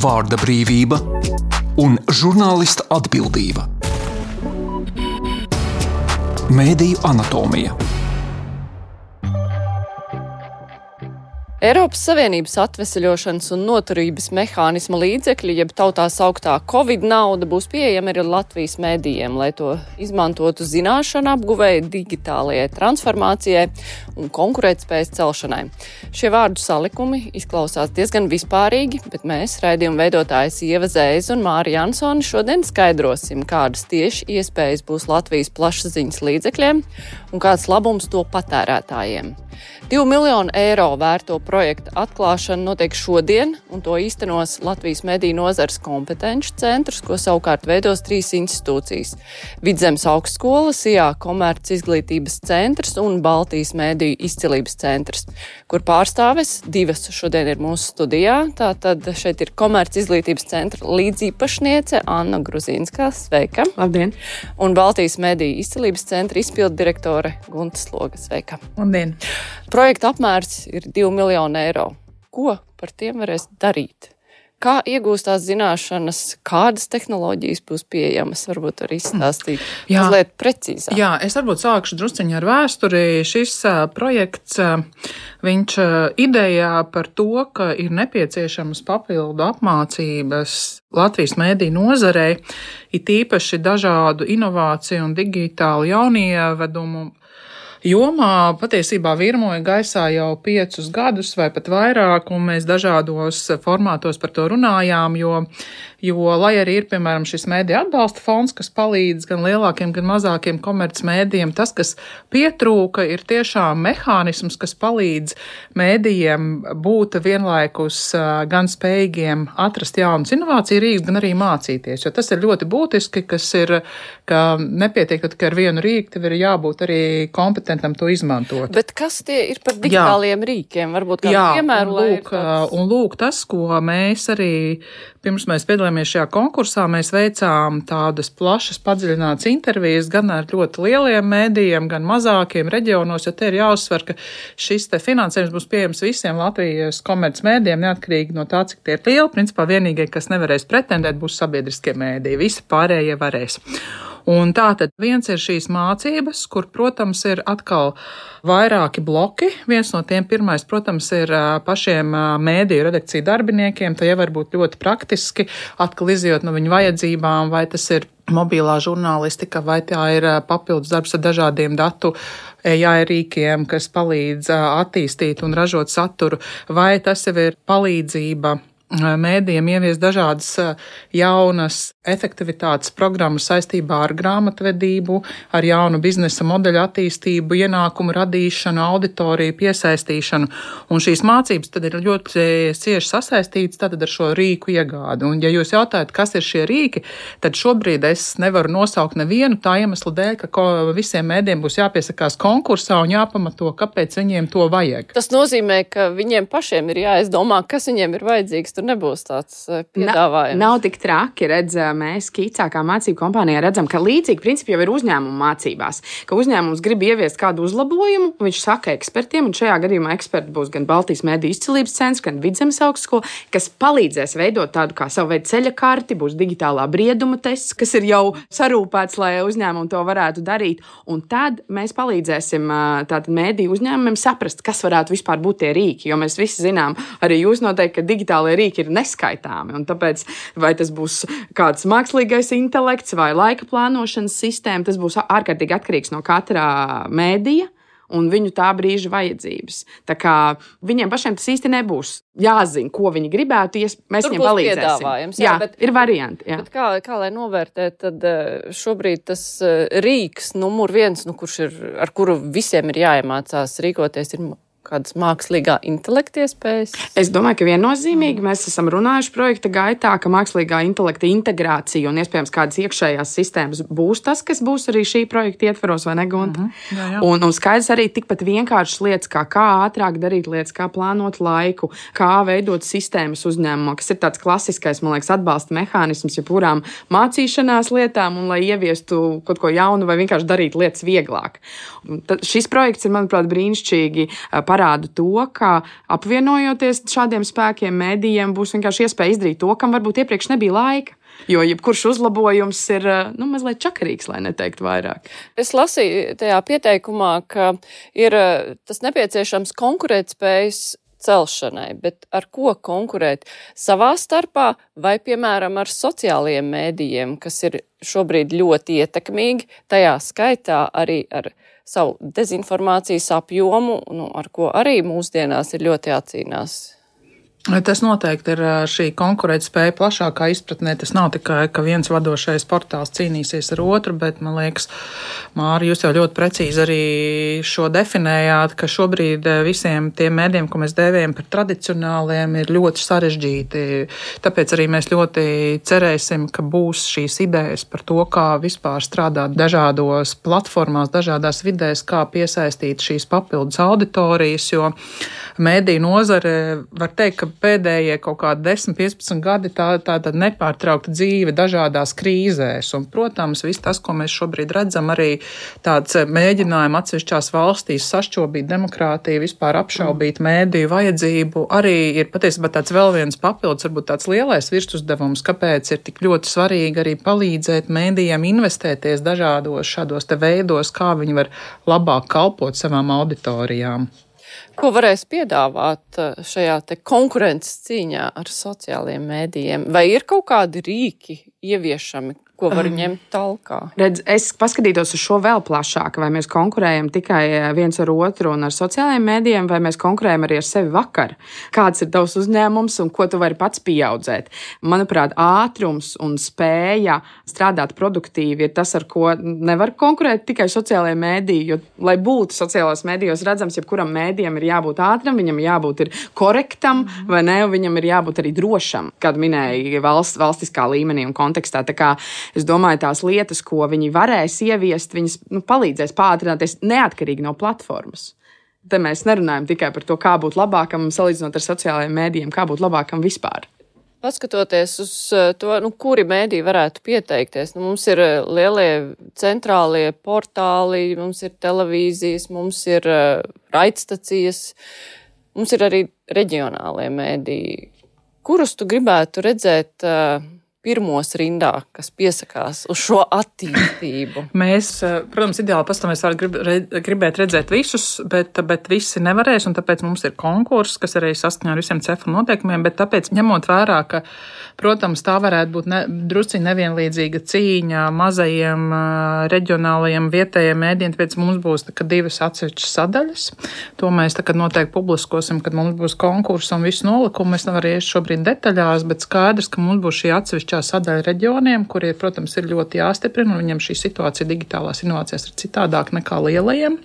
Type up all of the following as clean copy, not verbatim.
vārda brīvība un žurnālista atbildība. Mēdīju anatomija. Eiropas Savienības atveseļošanas un noturības mehānisma līdzekļi, jeb tautā sauktā Covid nauda, būs pieejama arī Latvijas mēdījiem, lai to izmantotu zināšanu apguvēja, digitālajai transformācijai un konkurētspējas celšanai. Šie vārdu salikumi izklausās diezgan vispārīgi, bet mēs, raidījuma veidotājs Ieva Zēza un Māri Jansoni, šodien skaidrosim, kādas tieši iespējas būs Latvijas plašsaziņas līdzekļiem un kāds labums to patērētājiem. 2 miljonu eiro vērto projektu atklāšana notiek šodien, un to īstenos Latvijas mediju nozares kompetenci centrs, ko savukārt veidos 3 institūcijas – Vidzemes augstskola, SIA komerc izglītības centrs un Baltijas mediju izcilības centrs, kur pārstāves 2 šodien ir mūsu studijā. Tātad šeit ir komerc izglītības centra līdzīpašniece Anna Gruzīnskā, sveika. Labdien! Un Baltijas mediju izcilības centra izpildu direktore Gunta Sloga, sveika. Labdien! Projekta apmērs ir 2 miljonu eiro. Ko par tiem varēs darīt? Kā iegūst tās zināšanas, kādas tehnoloģijas būs pieejamas, varbūt arī izstāstīt mazliet precīzāk. Jā, es varbūt sākšu drusciņu ar vēsturi. Šis projekts, viņš idejā par to, ka ir nepieciešamas papildu apmācības Latvijas mediju nozarei, it īpaši dažādu inovāciju un digitālu jaunievedumu jomā patiesībā virmoja gaisā jau 5 gadus vai pat vairāk, un mēs dažādos formātos par to runājām, jo lai arī ir, piemēram, šis mediju atbalsta fonds, kas palīdz gan lielākiem, gan mazākiem komercmēdījiem, tas, kas pietrūka, ir tiešām mehānisms, kas palīdz mēdījiem būt vienlaikus gan spējīgiem atrast jaunas inovāciju rīkus, gan arī mācīties, jo tas ir ļoti būtiski, ka nepietiek tikai ar vienu rīku, tev ir jābūt arī kompetentam to izmantot. Bet kas tie ir par digitāliem rīkiem? Varbūt kādu piemēru, un lūk, tas, ko mēs arī pirms mēs piedalījāmies šajā konkursā, mēs veicām tādas plašas, padziļinātas intervijas gan ar ļoti lieliem mēdījiem, gan mazākiem reģionos, jo te ir jāuzsver, ka šis te finansējums būs pieejams visiem Latvijas komercmēdījiem, neatkarīgi no tā, cik tie ir lieli. Principā vienīgie, kas nevarēs pretendēt, būs sabiedriskie mēdīji. Visi pārējie varēs. Un tātad viens ir šīs mācības, kur, protams, ir atkal vairāki bloki. Viens no tiem pirmais, protams, ir pašiem mēdīju redakciju darbiniekiem. Tie var būt ļoti praktiski, atkal izjūt no viņu vajadzībām, vai tas ir mobilā žurnālistika, vai tā ir papildus darbs ar dažādiem datu AI rīkiem, kas palīdz attīstīt un ražot saturu, vai tas jau ir palīdzība mēdījiem ievies dažādas jaunas efektivitātes programmas saistībā ar grāmatvedību, ar jaunu biznesa modeļu attīstību, ienākumu radīšanu, auditoriju piesaistīšanu. Un šīs mācības tad ir ļoti cieši sasaistītas tātad ar šo rīku iegādi. Un ja jūs jautājat, kas ir šie rīki, tad šobrīd es nevaru nosaukt nevienu tā iemesla dēļ, ka visiem mēdījiem būs jāpiesakās konkursā un jāpamato, kāpēc viņiem to vajag. Tas nozīmē, ka viņiem pašiem ir jāizdomā, kas viņiem ir vajadzīgs. Tur nebūs tāds piedāvājums. Nav tik traki, mēs Kīcā kā mācību kompānijā redzam, ka līdzīgi principi jau ir uzņēmumu mācībās, ka uzņēmums grib ieviest kādu uzlabojumu, viņš saka ekspertiem, un šajā gadījumā eksperti būs gan Baltijas mediju izcilības centrs, gan Vidzemes augstskola, kas palīdzēs veidot tādu kā savu veidu ceļa karti, būs digitālā brieduma tests, kas ir jau sarūpēts, lai uzņēmumi to varētu darīt, un tad mēs palīdzēsim tātad mediju uzņēmumiem saprast, kas varētu vispār būt tie rīki, jo mēs visi zinām, arī jūs noteikti, ka digitālie rīki ir neskaitāmi, un tāpēc vai tas būs kāds mākslīgais intelekts vai laika plānošanas sistēma, tas būs ārkārtīgi atkarīgs no katrā mēdīja un viņu tā brīža vajadzības. Tā kā viņiem pašiem tas īsti nebūs jāzina, ko viņi gribētu, mēs viņiem palīdzēsim. Jā, bet ir varianti. Jā. Bet kā lai novērtē, tad šobrīd tas rīks numur 1, ar kuru visiem ir jāiemācās rīkoties, ir kādas mākslīgā intelekta iespējas? Es domāju, ka viennozīmīgi mēs esam runājuši projekta gaitā, ka mākslīgā intelekta integrācija un iespējams kādas iekšējās sistēmas būs tas, kas būs arī šī projekta ietveros, vai ne, Gunta? Jā. Un skaidrs arī tikpat vienkāršas lietas, kā ātrāk darīt lietas, kā plānot laiku, kā veidot sistēmas uzņēmumā, kas ir tāds klasiskais, man liekas, atbalsta mehānisms jebkurām mācīšanās lietām un lai ieviestu kaut ko jaunu vai vienkārši darīt lietas vieglāk. Šis projekts ir, manuprāt, brīnišķīgi parāda to, ka apvienojoties šādiem spēkiem, mēdījiem būs vienkārši iespēja izdarīt to, kam varbūt iepriekš nebija laika. Jo jebkurš uzlabojums ir mazliet čakarīgs, lai neteiktu vairāk. Es lasīju tajā pieteikumā, ka ir tas nepieciešams konkurētspējas celšanai, bet ar ko konkurēt? Savā starpā vai, piemēram, ar sociālajiem mēdījiem, kas ir šobrīd ļoti ietekmīgi, tajā skaitā arī ar savu dezinformācijas apjomu, ar ko arī mūsdienās ir ļoti jācīnās? Tas noteikti ir šī konkurētspēja plašākā izpratnē. Tas nav tikai, ka viens vadošais portāls cīnīsies ar otru, bet, man liekas, Māri, jūs jau ļoti precīzi arī šo definējāt, ka šobrīd visiem tiem mēdiem, ko mēs dēvējam par tradicionāliem, ir ļoti sarežģīti. Tāpēc arī mēs ļoti cerēsim, ka būs šīs idejas par to, kā vispār strādāt dažādos platformās, dažādās vidēs, kā piesaistīt šīs papildus auditorijas, jo mēdīju nozare, var teikt, ka pēdējie kaut kādi 10-15 gadi tāda nepārtraukta dzīve dažādās krīzēs. Un, protams, viss tas, ko mēs šobrīd redzam, arī tāds mēģinājumi atsevišķās valstīs sašķobīt demokrātiju, vispār apšaubīt mēdīju vajadzību, arī ir patiesībā tāds vēl viens papildus, varbūt tāds lielais virsuzdevums, kāpēc ir tik ļoti svarīgi arī palīdzēt mēdījiem investēties dažādos šādos te veidos, kā viņi var labāk kalpot savām auditorijām. Ko varēs piedāvāt šajā te konkurences cīņā ar sociālajiem mēdījiem? Vai ir kaut kādi rīki ieviešami, ko var ņemt talkā? Redz, es paskatītos uz šo vēl plašāk, vai mēs konkurējam tikai viens ar otru un ar sociālajiem mēdījiem, vai mēs konkurējam arī ar sevi vakar. Kāds ir tavs uzņēmums un ko tu vari pats pieaudzēt? Manuprāt, ātrums un spēja strādāt produktīvi ir tas, ar ko nevar konkurēt tikai sociālajie mēdīji, jo, lai būtu sociālās mēdījos redzams, jebkuram mēdījam ir jābūt ātram, viņam jābūt ir korektam, vai ne, viņam ir jābūt arī drošam, kādu minēja valstiskā līmenī un kontekstā. Tā kā es domāju, tās lietas, ko viņi varēs ieviest, viņas palīdzēs pātrināties neatkarīgi no platformas. Te mēs nerunājam tikai par to, kā būt labākam, salīdzinot ar sociālajiem mēdījiem, kā būt labākam vispār. Paskatoties uz to, kuri mēdīji varētu pieteikties, mums ir lielie centrālie portāli, mums ir televīzijas, mums ir raidstacijas, mums ir arī reģionālie mēdīji. Kurus tu gribētu redzēt pirmos rindā, kas piesakās uz šo attīstību? Mēs, protams, ideāli pastāvēs gribēt redzēt visus, bet visi nevarēs, un tāpēc mums ir konkurss, kas arī saskaņā ar visiem CEFA noteikumiem, bet tāpēc ņemot vērā, ka, protams, tā varētu būt drusciņ nevienlīdzīga cīņa mazajiem reģionālajiem vietējiem mēdījiem, tāpēc mums būs divas atsevišķas sadaļas. To mēs tagad noteikti publiskosim, kad mums būs konkurss un visu nolikumu. Mēs nevaram iet šobrīd detaļās, bet skaidrs, ka mums būs šī atsevišķā sadaļa reģioniem, kuri, protams, ir ļoti jāstiprina, un viņam šī situācija digitālās inovācijās ir citādāk nekā lielajiem.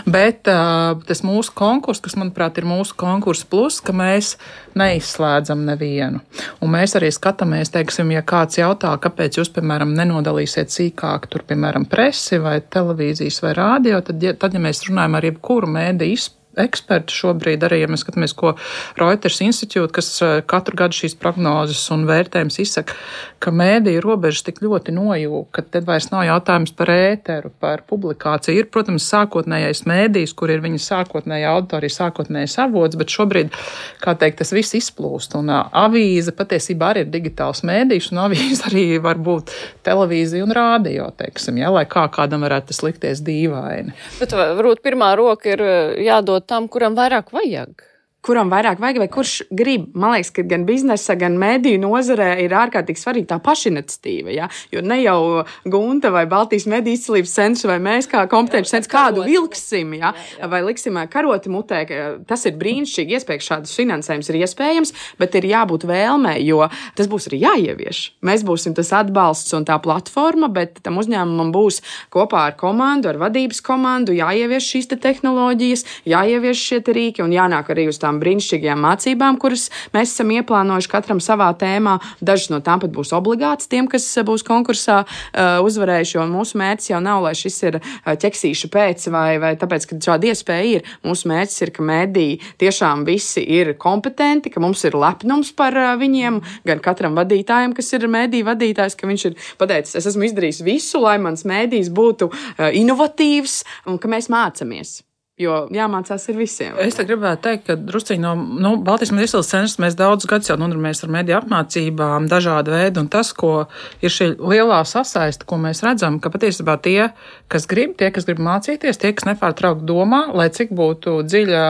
Bet tas mūsu konkurss, kas, manuprāt, ir mūsu konkurss plus, ka mēs neizslēdzam nevienu. Un mēs arī skatāmies, teiksim, ja kāds jautā, kāpēc jūs, piemēram, nenodalīsiet sīkāk tur, piemēram, presi vai televīzijas vai rādio, tad, ja mēs runājam ar jebkuru mēdīju eksperti šobrīd arī, ja mēs skatāmies, ko Reuters institūta, kas katru gadu šīs prognozes un vērtējums izsaka, ka mēdīju robežas tik ļoti nojūg, ka tad vairs nav jautājums par ēteru, par publikāciju. Ir, protams, sākotnējais mēdījis, kur ir viņa sākotnējā auditorija, sākotnējais avots, bet šobrīd, kā teikt, tas viss izplūst. Un avīze patiesībā arī ir digitāls mēdījis, un avīze arī var būt televīzija un rādio, teiksim, ja, lai kādam varētu tas likties dīvaini. Bet varbūt pirmā roka ir jādod tam, kuram vairāk vajag. Kuram vairāk vajag, vai kurš grib. Man liekas, ka gan biznesa, gan mēdīju nozarē ir ārkārtīgi svarīga tā pašiniciatīva. Ja? Jo ne jau Gunta vai Baltijas mediju izcilības centrs vai mēs kā kompetenci centrs kādu vilksim, ja? Vai liksim karoti mutē. Tas ir brīnišķīgi, iespējams, šādas finansējums ir iespējams, bet ir jābūt vēlmei, jo tas būs arī jāievieš. Mēs būsim tas atbalsts un tā platforma, bet tam uzņēmumam būs kopā ar komandu, ar vadības komandu jāievieš šīs te tehnoloģijas, jāievieš šie te rīki un jānāk arī uz tām brīnišķīgajām mācībām, kuras mēs esam ieplānojuši katram savā tēmā. Dažas no tām pat būs obligātas tiem, kas būs konkursā uzvarējuši, jo mūsu mērķis jau nav, lai šis ir ķeksīša pēc vai tāpēc, ka šāda iespēja ir. Mūsu mērķis ir, ka mēdīji tiešām visi ir kompetenti, ka mums ir lepnums par viņiem, gan katram vadītājam, kas ir mēdīju vadītājs, ka viņš ir pateicis, es esmu izdarījis visu, lai mans mēdījis būtu inovatīvs un ka mēs mācamies. Jo jāmācās ir visiem. Es te gribētu teikt, ka drusciņi no Baltijas mediju izcelsmes centra mēs daudzus gadus jau nodarbojamies ar mediju apmācībām, dažādu veidu, un tas, ko ir šī lielā sasaiste, ko mēs redzam, ka patiesībā tie, kas grib mācīties, tie, kas nepārtraukti domā, lai cik būtu dziļa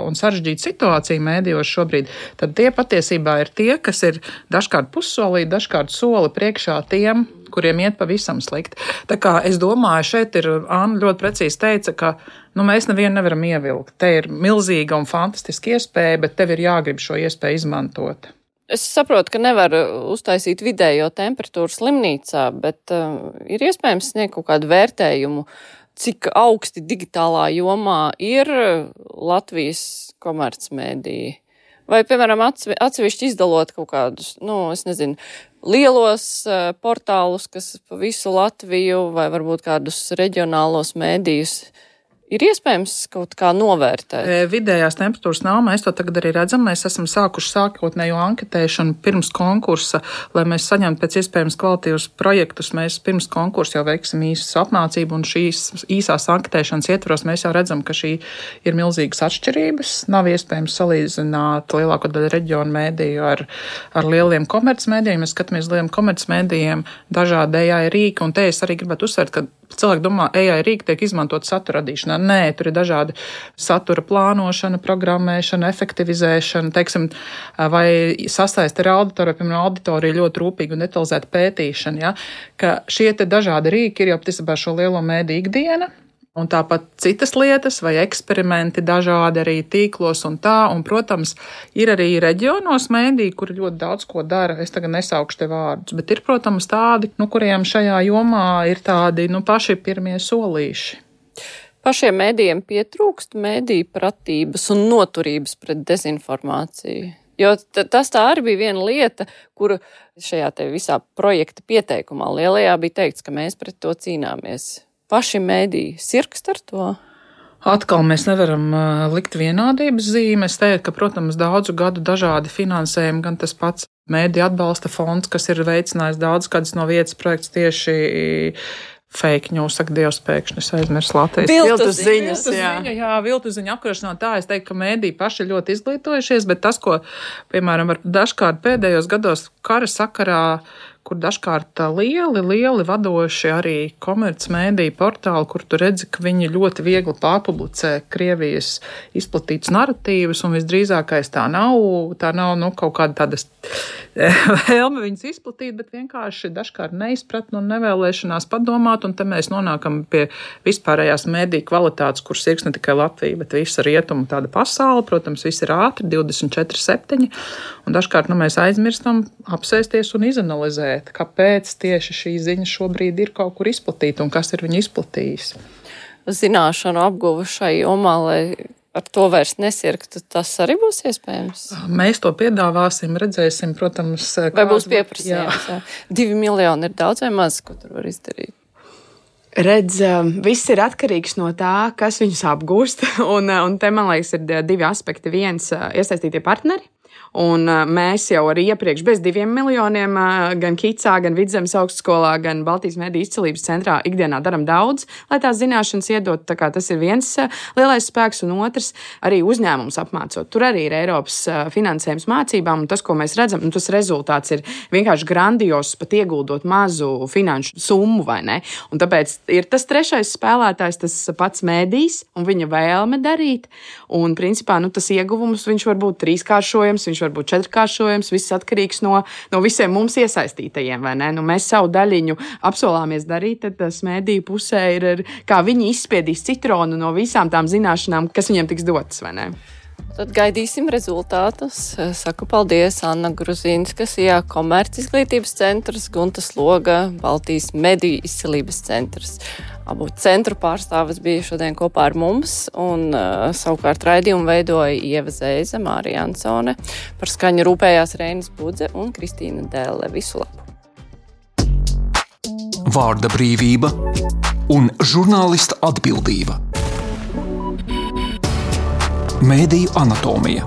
un sarežģīta situācija medijos šobrīd, tad tie patiesībā ir tie, kas ir dažkārt pussolī, dažkārt soli priekšā tiem, kuriem iet pavisam slikti. Tā kā es domāju, šeit ir Anna ļoti precīzi teica, ka mēs nevienu nevaram ievilkt. Te ir milzīga un fantastiska iespēja, bet tev ir jāgrib šo iespēju izmantot. Es saprotu, ka nevar uztaisīt vidējo temperatūru slimnīcā, bet ir iespējams sniegt kaut kādu vērtējumu, cik augsti digitālā jomā ir Latvijas komercmediji. Vai, piemēram, atsevišķi izdalot kaut kādus, lielos portālus, kas pa visu Latviju, vai varbūt kādus reģionālos mēdījus, ir iespējams kaut kā novērtēt? Vidējās temperatūras nav, mēs to tagad arī redzam. Mēs esam sākuši sākotnējo anketēšanu pirms konkursa, lai mēs saņemtu pēc iespējams kvalitīvus projektus. Mēs pirms konkursa jau veiksim īsas apmācību, un šīs īsās anketēšanas ietvaros mēs jau redzam, ka šī ir milzīgas atšķirības. Nav iespējams salīdzināt lielāko daļu reģionu mēdīju ar lieliem komercmēdījiem. Mēs skatāmies lieliem komercmēdījiem, dažādi AI rīki, un te es arī gribētu uzsvērt, ka cilvēki domā, AI rīki tiek izmantot satura radīšanā. Nē, tur ir dažādi satura plānošana, programmēšana, efektivizēšana, teiksim, vai sasaiste ar auditoriju, piemēram, auditorija ļoti rūpīgi un detalizēta pētīšana, ja? Ka šie te dažādi rīki ir jau patiesībā šo lielo mēdī ikdiena. Un tāpat citas lietas vai eksperimenti dažādi arī tīklos un tā. Un, protams, ir arī reģionos mēdī, kuri ļoti daudz ko dara. Es tagad nesaukšu te vārdus, bet ir, protams, tādi, kuriem šajā jomā ir tādi, paši pirmie solīši. Pašiem mēdījiem pietrūkst mēdīju pratības un noturības pret dezinformāciju. Jo tas tā arī bija viena lieta, kuru šajā te visā projekta pieteikumā lielajā bija teikts, ka mēs pret to cīnāmies. Paši mēdīji sirkst ar to? Atkal mēs nevaram likt vienādības zīmi. Es teiktu, ka, protams, daudzu gadu dažādi finansējumi, gan tas pats mēdīju atbalsta fonds, kas ir veicinājis daudz kādas no vietas projekts tieši fake news, saka Dievs, pēkšņi es aizmirsu Latvijas. Viltus ziņas, jā, viltus ziņu apkarošanā tā. Es teiktu, ka mēdīji paši ļoti izglītojušies, bet tas, ko, piemēram, dažkārt pēdējos gados kara sakarā, kur dažkārt lieli vadoši arī komercmēdiju portāli, kur tu redzi, ka viņi ļoti viegli pārpublicē Krievijas izplatītas narratīvas, un visdrīzākais tā nav kaut kāda tādas vēlme viņas izplatīt, bet vienkārši dažkārt neizpratni un nevēlēšanās padomāt, un te mēs nonākam pie vispārējās mēdīju kvalitātes, kur sirgs ne tikai Latvija, bet visa rietumu tāda pasaule, protams, viss ir ātri, 24/7, un dažkārt mēs aizmirstam apsēsties un izanalizēt, kāpēc tieši šī ziņa šobrīd ir kaut kur izplatīta un kas ir viņu izplatījis. Zināšanu apguva šai jomā, lai ar to vairs nesirgtu, tas arī būs iespējams? Mēs to piedāvāsim, redzēsim, protams. Vai būs pieprasījums? 2 miljoni ir daudz vai maz, ko tur var izdarīt? Redz, viss ir atkarīgs no tā, kas viņus apgūst, un te, man liekas, ir 2 aspekti. Viens, iesaistītie partneri. Un mēs jau arī iepriekš bez 2 miljoniem gan Kicā, gan Vidzemes augstskolā, gan Baltijas mediju izcelības centrā ikdienā daram daudz, lai tās zināšanas iedot. Tā kā tas ir viens lielais spēks, un otrs arī uzņēmums apmācot. Tur arī ir Eiropas finansējums mācībām, un tas, ko mēs redzam, tas rezultāts ir vienkārši grandios, pat ieguldot mazu finanšu summu, vai ne? Un tāpēc ir tas trešais spēlētājs, tas pats mēdījis un viņa vēlme darīt, un principā tas ieguvums viņš var būt 3-kāršojams, viņš var būt 4-kāršojams, viss atkarīgs no visiem mums iesaistītajiem, vai ne? Mēs savu daļiņu apsolāmies darīt, tad tas mēdīju pusē ir, kā viņi izspiedīs citronu no visām tām zināšanām, kas viņiem tiks dotas, vai ne? Tad gaidīsim rezultātus. Saku paldies Anna Gruzīnska, Komerc izglītības centrs, Gunta Sloga, Baltijas mediju izcelības centrs. Abu centru pārstāvis bija šodien kopā ar mums, un savukārt raidījumu veidoja Ieva Zeize, Mārija Ansone, par skaņu rūpējās Reinis Budze un Kristīna Dēle. Visu labu! Vārda brīvība un žurnālista atbildība. Mēdiju anatomija.